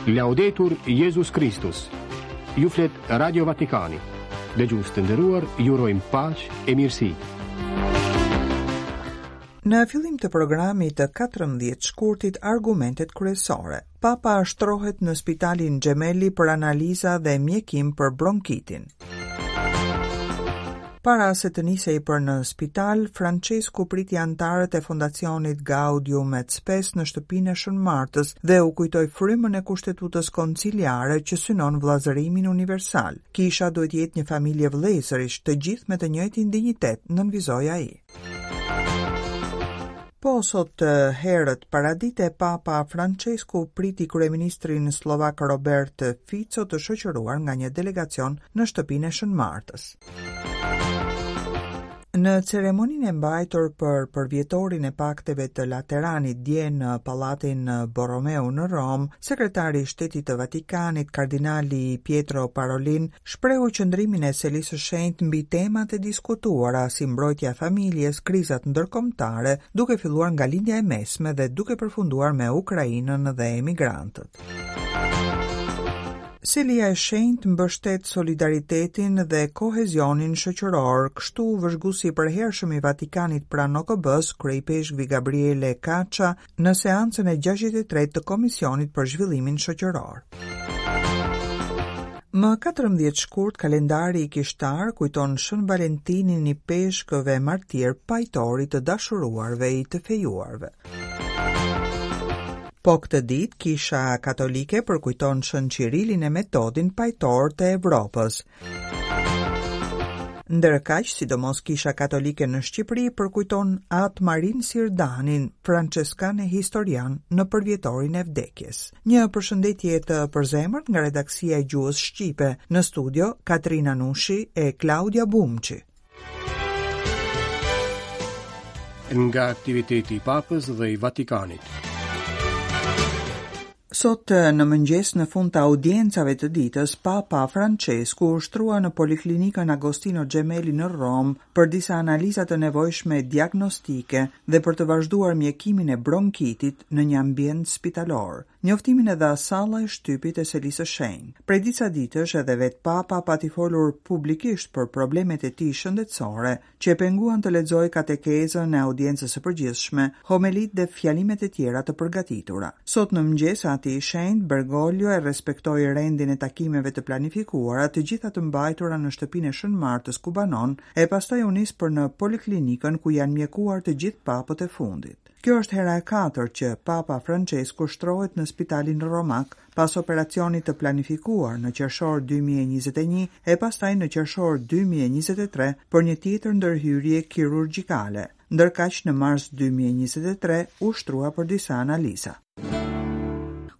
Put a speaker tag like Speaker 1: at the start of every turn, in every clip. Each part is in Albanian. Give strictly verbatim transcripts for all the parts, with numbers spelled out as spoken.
Speaker 1: Laudetur Jezus Kristus. Ju flet Radio Vatikani. Dëgjues të nderuar, ju urojmë paqe e mirësi.
Speaker 2: Në fillim të programit të katërmbëdhjetë shkurtit, argumentet kryesore. Papa shtrohet në spitalin Gemelli për analiza dhe mjekim për bronkitin. Para se të nisej për në spital, Francesku priti anëtarët e fondacionit Gaudium et Spes në shtëpinë e Shën Martës dhe u kujtoi frymën e kushtetutës konciliare që synon vëllazërimin universal. Kisha duhet të jetë një familje vëllezërish, të gjithë me të njëjtin dinjitet, nënvizoi ai. Po sot herët paradite, Papa Francesku priti kryeministrin slovak Robert Fico të shoqëruar nga një delegacion në shtëpinë e Shën Martës. Në ceremoninë e mbajtur për përvjetorin e pakteve të Lateranit dje në Pallatin Borromeo në Romë, sekretari i Shtetit të Vatikanit, kardinali Pietro Parolin, shprehu qëndrimin e Selisë së Shenjtë mbi temat e diskutuara si mbrojtja e familjes, krizat ndërkombëtare, duke filluar nga Lindja e Mesme dhe duke përfunduar me Ukrainën dhe emigrantët. Selia e Shenjtë mbështet solidaritetin dhe kohezionin shoqëror, kështu vëzhguesi i përhershëm i Vatikanit pranë O K B-s, kryeipeshkvi Gabriele Caccia, në seancën e gjashtëdhjetë e tretë të Komisionit për Zhvillimin Shoqëror. Më katërmbëdhjetë shkurt, kalendari i kishtar kujton Shën Valentinin i peshkëve martir, pajtori të dashuruarve i të fejuarve. Po këtë ditë, Kisha Katolike përkujton Shën Qirilin e Metodin, pajtor të Evropës. Ndërkaq, sidomos Kisha Katolike në Shqipëri përkujton Atë Marin Sirdanin, franceskan e historian, në përvjetorin e vdekjes. Një përshëndetje të përzemërt nga redaksia e gjuhës shqipe, në studio Katrina Nushi e Klaudia Bumçi.
Speaker 1: Nga aktiviteti i Papës dhe i Vatikanit.
Speaker 2: Sot në mëngjes në fund të audiencave të ditës, Papa Francesku u shtrua në Poliklinikën Agostino Gemelli në Romë për disa analiza të nevojshme diagnostike dhe për të vazhduar mjekimin e bronkitit në një ambient spitalor. Njoftimin e dha salla e shtypit e Selisë së Shenjtë. Prej disa ditësh edhe vet Papa pati folur publikisht për problemet e tij shëndetësore, që e penguan të lexojë katekezën e audiencës së përgjithshme, homelit dhe fjalimet e tjera të përgatitura. Sot në mëngjes Ati i Shenjtë Bergoglio e respektoi rendin e takimeve të planifikuara, të gjitha të mbajtura në shtëpinë e Shën Martës ku banon, e pastaj u nis për në poliklinikën ku janë mjekuar të gjithë papët e fundit. Kjo është hera e katërt që Papa Francesku shtrohet në spitalin romak pas operacionit të planifikuar në qershor dy mijë e njëzet e një e pastaj në qershor dy mijë e njëzet e tre për një tjetër ndërhyrje kirurgjikale. Ndërkaq në mars dy mijë e njëzet e tre u shtrua për disa analiza.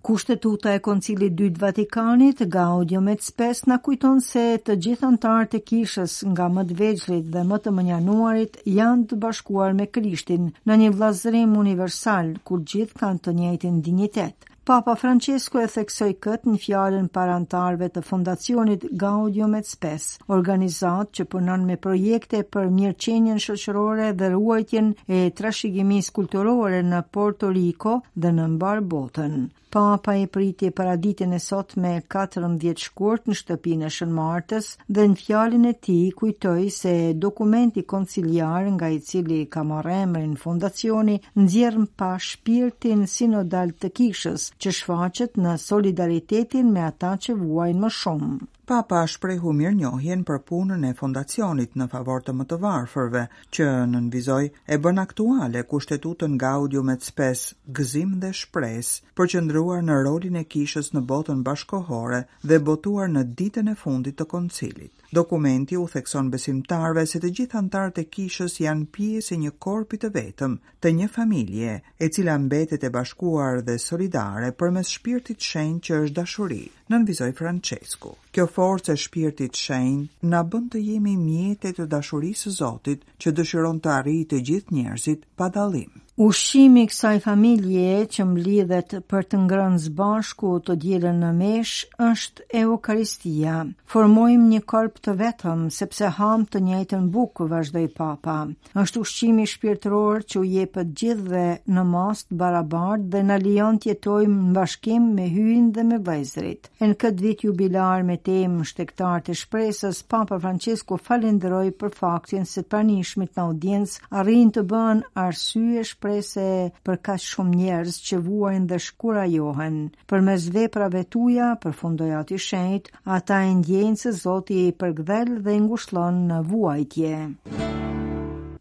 Speaker 3: Kushtetuta e Koncilit dytë Vatikanit, Gaudium et Spes, na kujton se të gjithë anëtarët e kishës, nga më të vegjëlit dhe më të mënjanuarit, janë të bashkuar me Krishtin në një vllazërim universal, ku gjithë kanë të njëjtin dinjitet. Papa Francesco e theksoi këtë në fjalën para anëtarëve të fondacionit Gaudium et Spes, organizatë që punon me projekte për mirëqenien shoqërore dhe ruajtjen e trashëgimisë kulturore në Porto Rico dhe në mbar botën. Papa e priti paraditën e sotme katërmbëdhjetë shkurt në shtëpinë e Shën Martës dhe në fjalën e tij kujtoi se dokumenti konciliar nga i cili ka marrë emrin fondacioni nxjerr pa shpirtin sinodal të kishës që shfaqet në solidaritetin me ata që vuajnë më shumë.
Speaker 2: Papa shprehu mirënjohjen për punën e fondacionit në favor të më të varfërve, që nënvizoi e bën aktuale kushtetutën Gaudium et Spes, gëzim dhe shpresë, përqendruar në rolin e kishës në botën bashkohore dhe botuar në ditën e fundit të koncilit. Dokumenti u thekson besimtarëve se të gjithë anëtarët e kishës janë pjesë e një korpi të vetëm, të një familje, e cila mbetet e bashkuar dhe solidare përmes shpirtit shenjt që është dashuri, nënvizoi Francesku. Kjo forcë e shpirtit shenjt na bën të jemi mjete të dashurisë së Zotit, që dëshiron të arrijë të gjithë njerëzit pa dallim.
Speaker 3: Ushqimi i kësaj familje që mblidhet për të ngrënë së bashku të dielën në meshë është Eukaristia. Formojmë një korp të vetëm sepse ham të njëjtën bukë, vazhdoi Papa. Është ushqimi shpirtëror që u jepet gjithëve në masë të barabartë dhe na lejon të jetojmë në bashkim me Hyjin dhe me vëllezërit. E në këtë vit jubilar me temë Shtegtarët e shpresës, Papa Francesku falenderoi për faktin se të pranishmit në audiencë arrijnë të bëhen arsye shpresë për kaq shumë njerëz që vuajnë dhe shkurajohen. Përmes veprave tuaja, përfundoi Ati Shenjt, ata e ndjejnë se Zoti i përkëdhel dhe i ngushllon në vuajtje.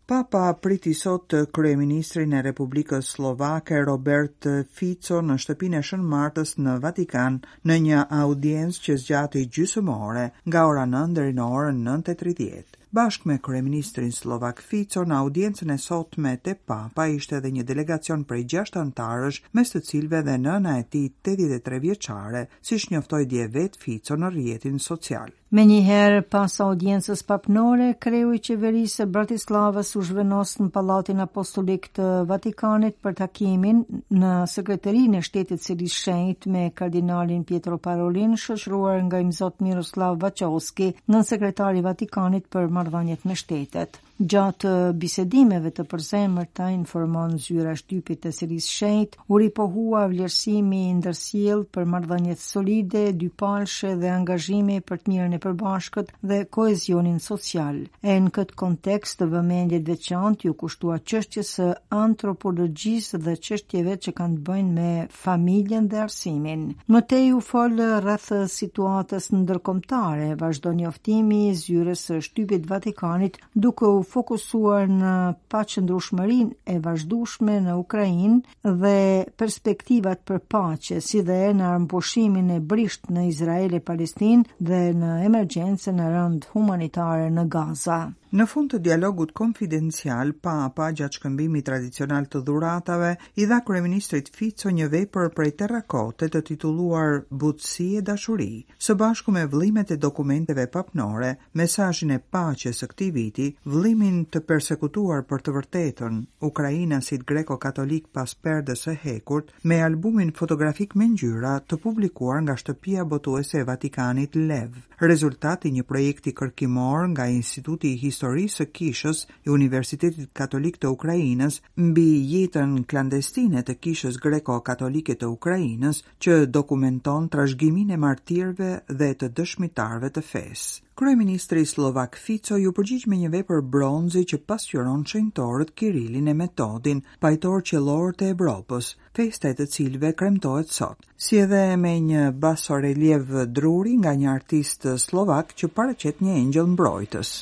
Speaker 2: Papa priti sot kryeministrin e Republikës Slovake Robert Fico në shtëpinë e Shën Martës në Vatikan në një audiencë që zgjati gjysmë ore, nga ora nëntë deri në orën nëntë e tridhjetë. Bashkë me kryeministrin slovak Fico në audiencën e sotme te Papa ishte edhe një delegacion prej gjashtë anëtarësh, mes të cilëve dhe nëna e tij tetëdhjetë e tre vjeçare, siç njoftoi dje vetë Fico në rrjetin social.
Speaker 3: Menjëherë pas audiencës papnore, kreu i qeverisë së Bratislavës u zhvendos në Pallatin Apostolik të Vatikanit për takimin në Sekretarinë e Shtetit Selisë Shenjtë me kardinalin Pietro Parolin, shoqëruar nga Imzot Miroslav Vaçovski, nënsekretari i Vatikanit për marrëdhëniet me shtetet. Gjatë bisedimeve të përzemërta, informon zyra e shtypit të Selisë Shenjtë, u ripohua vlerësimi i ndërsjellë për marrëdhëniet solide, dypalshe dhe angazhimi për të mirën e përbashkët dhe kohezionin social. E në këtë kontekst vëmendje të veçantë ju kushtua çështjes së antropologjisë dhe çështjeve që kanë të bëjnë me familjen dhe arsimin. Më tej u fol rreth situatës ndërkombëtare, vazhdon njoftimi i zyrës së shtypit Vatikanit, duke u fokusuar në paqëndrueshmërinë e vazhdueshme në Ukrainë dhe perspektivat për paqe, si dhe në armëpushimin e brishtë në Izrael e Palestinë dhe në emergjencën e rëndë humanitare në Gaza.
Speaker 2: Në fund të dialogut konfidencial, Papa, gjatë shkëmbimit tradicional të dhuratave, i dha kryeministrit Fico një vepër prej terrakote të titulluar Butësi e dashuri, së bashku me vëllimet e dokumenteve papnore, mesazhin e paqes së këtij viti, vëllimin të persekutuar për të vërtetën, ukrainasit greko-katolik pas perdes së hekurt, me albumin fotografik me ngjyra të publikuar nga shtëpia botuese e Vatikanit Lev, rezultat i një projekti kërkimor nga Instituti i Historisë së Kishës i Universitetit Katolik të Ukrainës mbi jetën klandestine të Kishës Greko-Katolike të Ukrainës, që dokumenton trashëgiminë e martirëve dhe të dëshmitarëve të fesë. Kryeministri slovak Fico ju përgjigj me një vepër bronzi që pasqyron shenjtorët Kirilin e Metodin, pajtor qellor të Evropës, festa e të cilëve kremtohet sot, si edhe me një basoreliev druri nga një artist slovak që paraqet një engjëll mbrojtës.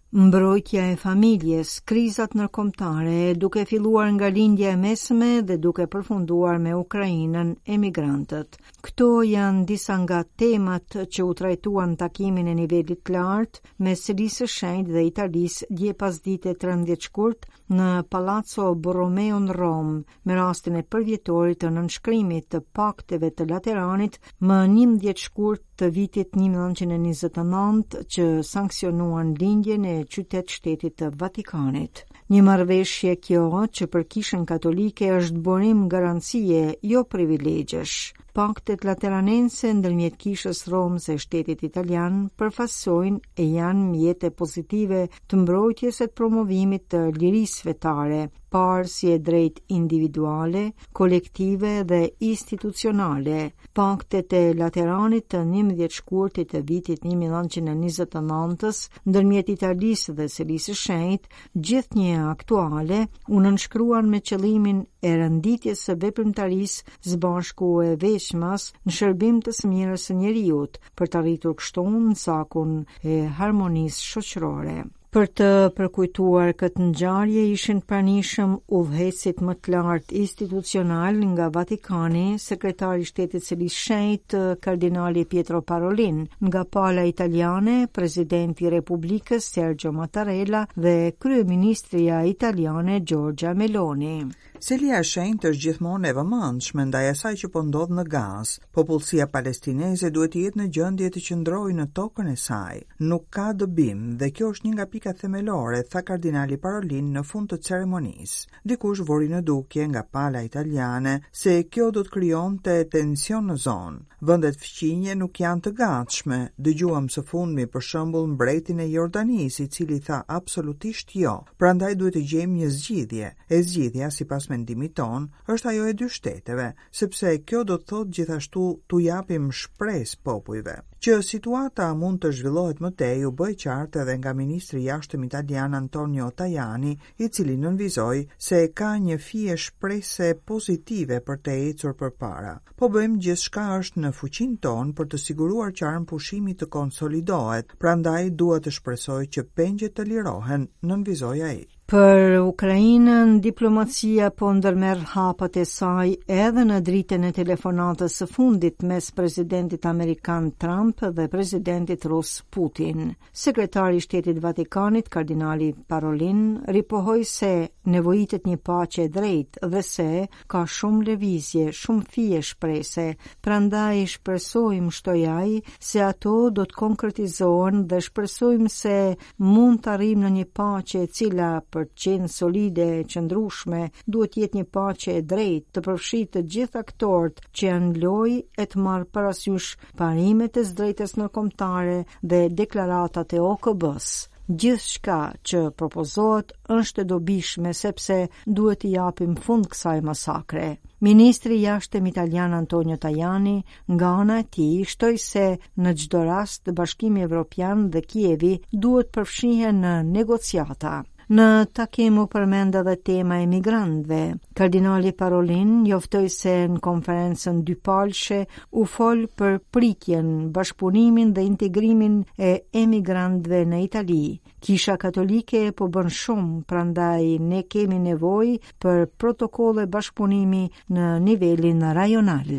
Speaker 3: Mbrojtja e familjes, krizat ndërkombëtare, duke filluar nga lindja e mesme dhe duke përfunduar me Ukrainën, emigrantët. Këto janë disa nga temat që u trajtuan në takimin e nivelit të lartë mes Selisë së Shenjtë dhe Italisë dje pasdite trembëdhjetë shkurt në Palazzo Borromeo në Romë, me rastin e përvjetorit të nënshkrimit të pakteve të Lateranit më njëmbëdhjetë shkurt të vitit një mijë e nëntëqind e njëzet e nëntë që sanksionuan lindjen e qytet shtetit të Vatikanit. Një marrëveshje kjo që për Kishën Katolike është burim garancie, jo privilegjesh. Paktet lateranense ndërmjet Kishës Romës e shtetit italian përfaqësojnë e janë mjete pozitive të mbrojtjes e të promovimit të lirisë fetare, parë si e drejtë individuale, kolektive dhe institucionale. Paktet e Lateranit të njëmbëdhjetë shkurtit të vitit një mijë e nëntëqind e njëzet e nëntës ndërmjet Italisë dhe Selisë së Shenjtë, gjithnjë aktuale, u nënshkruan me qëllimin e renditjes së veprimtarisë së bashku e veçmas në shërbim të së mirës së njeriut, për të arritur kështu në cakun e harmonisë shoqërore. Për të përkujtuar këtë ngjarje ishin pranishëm udhëheqësit më të lartë institucional nga Vatikani, sekretari i shtetit Selisë Shenjtë, kardinali Pietro Parolin, nga pala italiane, presidenti i Republikës Sergio Mattarella dhe kryeministria italiane Giorgia Meloni.
Speaker 2: Selia e Shenjtë është gjithmonë e vëmendshme ndaj asaj që po ndodh në Gazë. Popullsia palestineze duhet të jetë në gjendje të qëndrojë në tokën e saj. Nuk ka dëbim dhe kjo është një nga pikat themelore, tha kardinali Parolin në fund të ceremonisë. Dikush vori në dukje nga pala italiane se kjo do të krijonte tension në zonë. Vendet fqinje nuk janë të gatshme. Dëgjuam së fundmi për shembull mbretin e Jordanisë, i cili tha absolutisht jo. Prandaj duhet të gjejmë një zgjidhje. E zgjidhja sipas mendimit ton është ajo e dy shteteve, sepse kjo do të thotë gjithashtu t'u japim shpresë popujve. Që situata mund të zhvillohet më tej u bë e qartë edhe nga ministri i jashtëm italian Antonio Tajani, i cili nënvizoi se ka një fije shprese pozitive për të ecur përpara. Po bëjmë gjithçka është në fuqinë tonë për të siguruar që armëpushimi të konsolidohet, prandaj dua të shpresoj që pengjet të lirohen, nënvizoi ai.
Speaker 3: Për Ukrainën, diplomacia po ndërmerr hapat e saj edhe në dritën e telefonatës së fundit mes presidentit amerikan Trump dhe presidentit rus Putin. Sekretari i Shtetit Vatikanit, kardinali Parolin, ripohoi se nevojitet një paqe e drejtë dhe se ka shumë lëvizje, shumë fije shprese, prandaj shpresojmë, shtoi ai, se ato do të konkretizohen dhe shpresojmë se mund të arrijmë në një paqe e cila për të qenë solide e qëndrueshme, duhet të jetë një paqe e drejtë, të përfshijë të gjithë aktorët që janë në lojë e të marrë parasysh parimet e së drejtës ndërkombëtare dhe deklaratat e O K B-s. Gjithçka që propozohet është e dobishme sepse duhet t'i japim fund kësaj masakre. Ministri i Jashtëm italian Antonio Tajani nga ana e tij shtoi se në çdo rast Bashkimi Evropian dhe Kievi duhet përfshihen në negociata. Në takim u përmend edhe tema e migrantëve. Kardinali Parolin njoftoi se në konferencën dypalshe u fol për pritjen, bashkëpunimin dhe integrimin e emigrantëve në Itali. Kisha Katolike po bën shumë, prandaj ne kemi nevojë për protokolle bashkëpunimi në nivelin rajonal.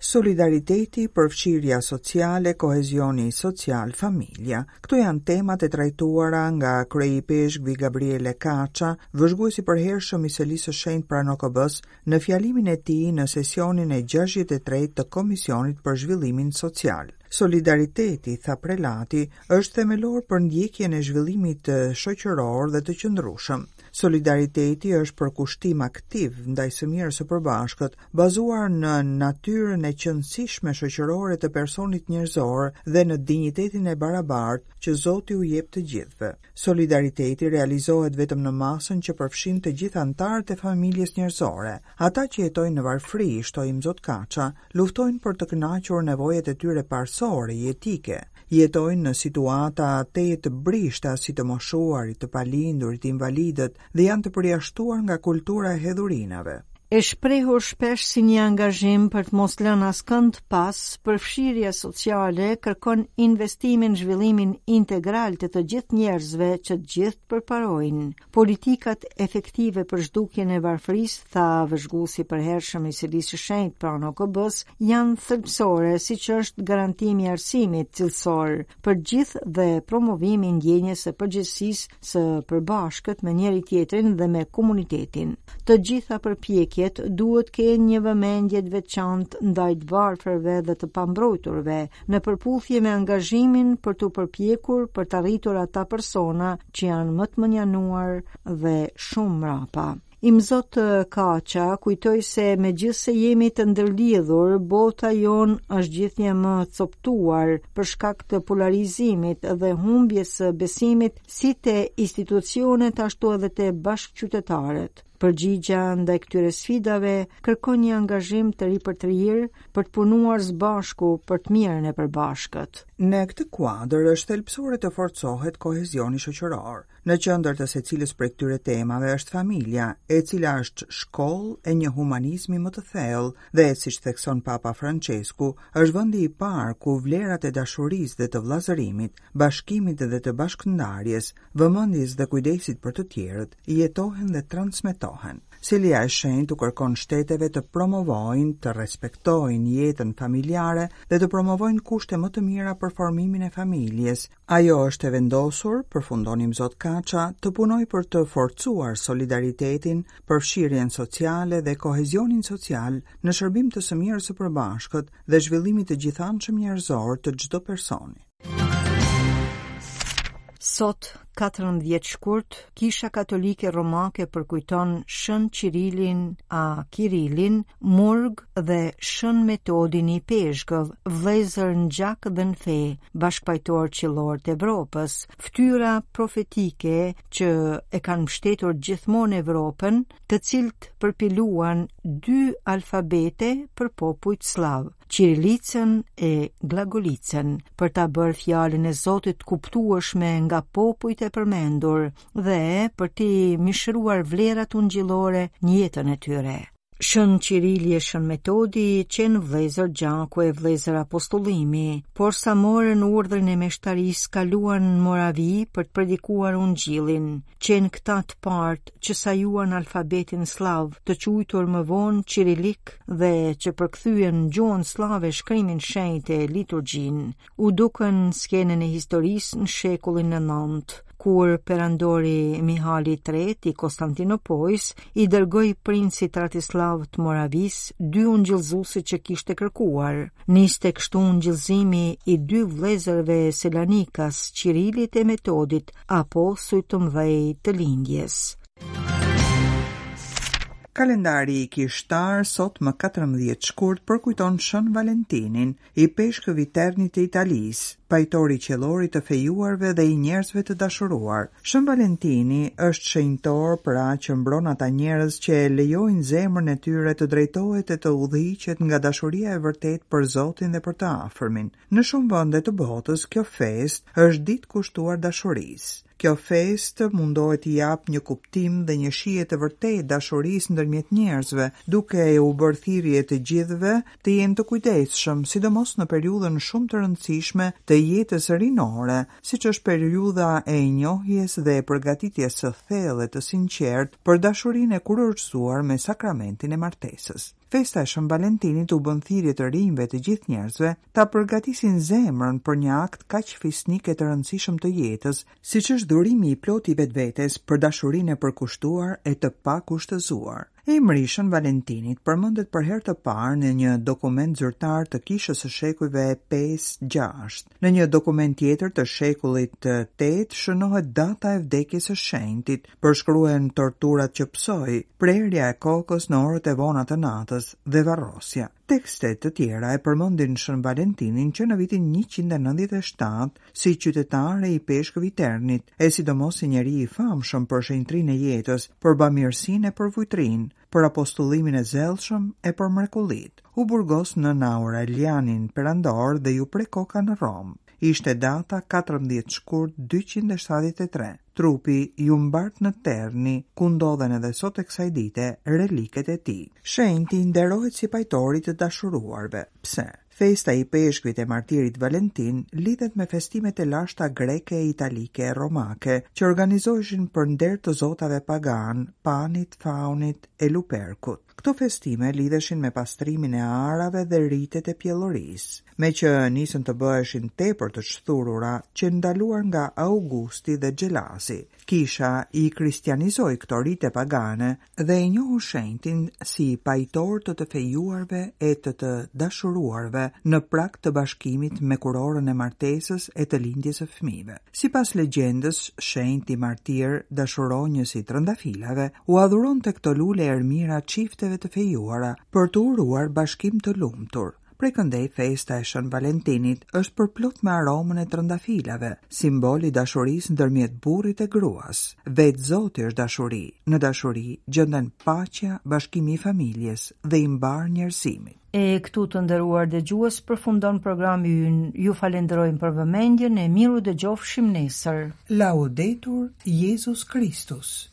Speaker 2: Solidariteti, përfshirja sociale, kohezioni social, familja. Këto janë temat e trajtuara nga kryeipeshkvi Gabriele Kaça, vëzhguesi i përhershëm i Selisë së Shenjtë pranë O K B-s, në fjalimin e tij në sesionin e gjashtëdhjetë e tretë të Komisionit për Zhvillimin Social. Solidariteti, tha prelati, është themelor për ndjekjen e zhvillimit shoqëror dhe të qëndrueshëm. Solidariteti është përkushtim aktiv ndaj së mirës së përbashkët, bazuar në natyrën e qenësishme shoqërore të personit njerëzor dhe në dinjitetin e barabartë që Zoti u jep të gjithëve. Solidariteti realizohet vetëm në masën që përfshin të gjithë anëtarët e familjes njerëzore. Ata që jetojnë në varfëri, shtoi Imzot Kaça, luftojnë për të kënaqur nevojat e tyre parësore, jetike. Jetojnë në situata tejet të brishta si të moshuarit, të palindurit, invalidët dhe janë të përjashtuar nga kultura e hedhurinave.
Speaker 3: E shprehur shpesh si një angazhim për të mos lënë askënd pas, përfshirja sociale kërkon investimin në zhvillimin integral të të gjithë njerëzve që të gjithë përparojnë. Politikat efektive për zhdukjen e varfërisë, tha vëzhguesi i përhershëm i Selisë së Shenjtë pranë O K B-s, janë thelbësore, siç është garantimi i arsimit cilësor për gjithë dhe promovimi i ndjenjës së përgjegjësisë së përbashkët me njëri tjetrin dhe me komunitetin. Të gjitha përpjekjet duhet kenë një vëmendje të veçantë ndaj të varfërve dhe të pambrojturve, në përputhje me angazhimin për t'u përpjekur për të arritur ata persona që janë më të mënjanuar dhe shumë mbrapa. Imzot Kaça kujtoi se megjithse jemi të ndërlidhur, bota jonë është gjithnjë më coptuar për shkak të polarizimit dhe humbjes së besimit si te institucionet ashtu edhe te bashkëqytetarët. Përgjigja ndaj këtyre sfidave kërkon një angazhim të ripërtërirë për të punuar së bashku për të mirën e përbashkët.
Speaker 2: Në këtë kuadër është thelbësore të forcohet kohezioni shoqëror. Në qendër të secilës prej këtyre temave është familja, e cila është shkollë e një humanizmi më të thellë dhe, siç thekson Papa Francesku, është vendi i parë ku vlerat e dashurisë dhe të vëllazërimit, bashkimit dhe të bashkëndarjes, vëmendjes dhe kujdesit për të tjerët jetohen dhe transmetohen. respektohen. Selia e Shenjtë u kërkon shteteve të promovojnë, të respektojnë jetën familjare dhe të promovojnë kushte më të mira për formimin e familjes. Ajo është e vendosur, përfundon Imzot Kaça, të punojë për të forcuar solidaritetin, përfshirjen sociale dhe kohezionin social në shërbim të së mirës së përbashkët dhe zhvillimit të gjithanshëm njerëzor të çdo personi.
Speaker 3: Sot, katërmbëdhjetë shkurt, Kisha Katolike Romake përkujton Shën Qirilin a Kirilin, Murg dhe Shën Metodin i Peshkëv, vëllezër në gjak dhe në fe, bashkëpajtor qillor të Evropës, fytyra profetike që e kanë mbështetur gjithmonë Evropën, të cilët përpiluan dy alfabete për popujt sllav, Qirilicën e Glagolicën, për ta bërë fjalën e Zotit kuptueshme nga popujt e përmendur dhe për t'i mishëruar vlerat ungjillore në jetën e tyre. Shën Qirili e Shën Metodi qenë vëllezër gjaku e vëllezër apostollimi, por sa morën urdhrin e meshtarisë kaluan në Moravi për të predikuar ungjillin. Qenë këta të parët që sajuan alfabetin sllav, të quajtur më vonë Qirilik, dhe që përkthyen në gjuhën sllave shkrimin shenjtë e liturgjinë. U dukën në skenën e historisë në shekullin e nëntë, kur perandori Mihali i tretë i Konstantinopojës i dërgoi princit Ratislav të Moravisë dy ungjillëzuesit që kishte kërkuar. Niste kështu ungjillëzimi i dy vëllezërve Selanikas, Qirilit e Metodit, apostuj të mëdhej të lindjes.
Speaker 2: Kalendari i kishtar sot më katërmbëdhjetë shkurt përkujton Shën Valentinin, i peshkëv i Ternit të Italisë, pajtori qiellorit të fejuarve dhe i njerëzve të dashuruar. Shën Valentini është shenjtor pra që mbron ata njerëz që e lejojnë zemrën e tyre të drejtohet e të udhëhiqet nga dashuria e vërtetë për Zotin dhe për të afërmin. Në shumë vende të botës, kjo festë është ditë kushtuar dashurisë. Kjo festë mundohet t'i japë një kuptim dhe një shije të vërtetë dashurisë ndërmjet njerëzve, duke u bërë thirrje të gjithëve të jenë të kujdesshëm, sidomos në periudhën shumë të rëndësishme të jetës rinore, siç është periudha e njohjes dhe e përgatitjes së thellë e të sinqertë për dashurinë e kurorëzuar me sakramentin e martesës. Festa e Shën Valentinit u bën thirrje të rinjve të gjithë njerëzve ta përgatisin zemrën për një akt kaq fisnik e të rëndësishëm të jetës, siç është dhurimi i plotë i vetvetes për dashurinë e përkushtuar e të pakushtëzuar. Emri i Shën Valentinit përmendet për herë të parë në një dokument zyrtar të kishës së shekujve pesë gjashtë. Në një dokument tjetër të shekullit të tetë shënohet data e vdekjes së shenjtit, përshkruhen torturat që pësoi, prerja e kokës në orët e vona të natës dhe varrosja. Tekste të tjera e përmendin Shën Valentinin që në vitin njëqind e nëntëdhjetë e shtatë si qytetar i peshkëv i Ternit, e sidomos si njeri i famshëm për shenjtrinë e jetës, për bamirësinë e për vujtrinë, për apostullimin e zellshëm e për mrekullit. U burgos në Aurelianin perandor dhe ju pre koka në Romë. Ishte data katërmbëdhjetë shkurt dyqind e shtatëdhjetë e tre. Trupi ju mbart në Terni, ku ndodhen edhe sot e kësaj dite reliket e tij. Shenjti nderohet si pajtori të dashuruarve. Pse? Festa i peshkvit e martirit Valentin lidhet me festimet e lashta greke, italike e romake, që organizoheshin për nder të zotave pagan, Panit, Faunit e Luperkut. Këto festime lidheshin me pastrimin e arave dhe ritet e pjellorisë, me që nisën të bëheshin tepër të shthurura, që ndaluar nga Augusti dhe Xhelazi. Kisha i kristianizoi këto rite pagane dhe e njohu shenjtin si pajtor të të fejuarve e të të dashuruarve në prag të bashkimit me kurorën e martesës e të lindjes së fëmijëve. Sipas legjendës, shenjti martir, dashuronjës i trëndafilave, u adhuronte këto lule ermira çifteve të fejuara për të uruar bashkim të lumtur. Prej këndej festa e Shën Valentinit është përplot me aromën e trëndafilave, simbol i dashurisë ndërmjet burrit e gruas. Vetë Zoti është dashuri. Në dashuri gjenden paqja, bashkimi i familjes dhe i mbar njerëzimit.
Speaker 3: E këtu të nderuar dëgjues përfundon programi ynë. Ju falenderojmë për vëmendjen e miru dëgjofshim nesër.
Speaker 2: Laudetur Jezus Kristus.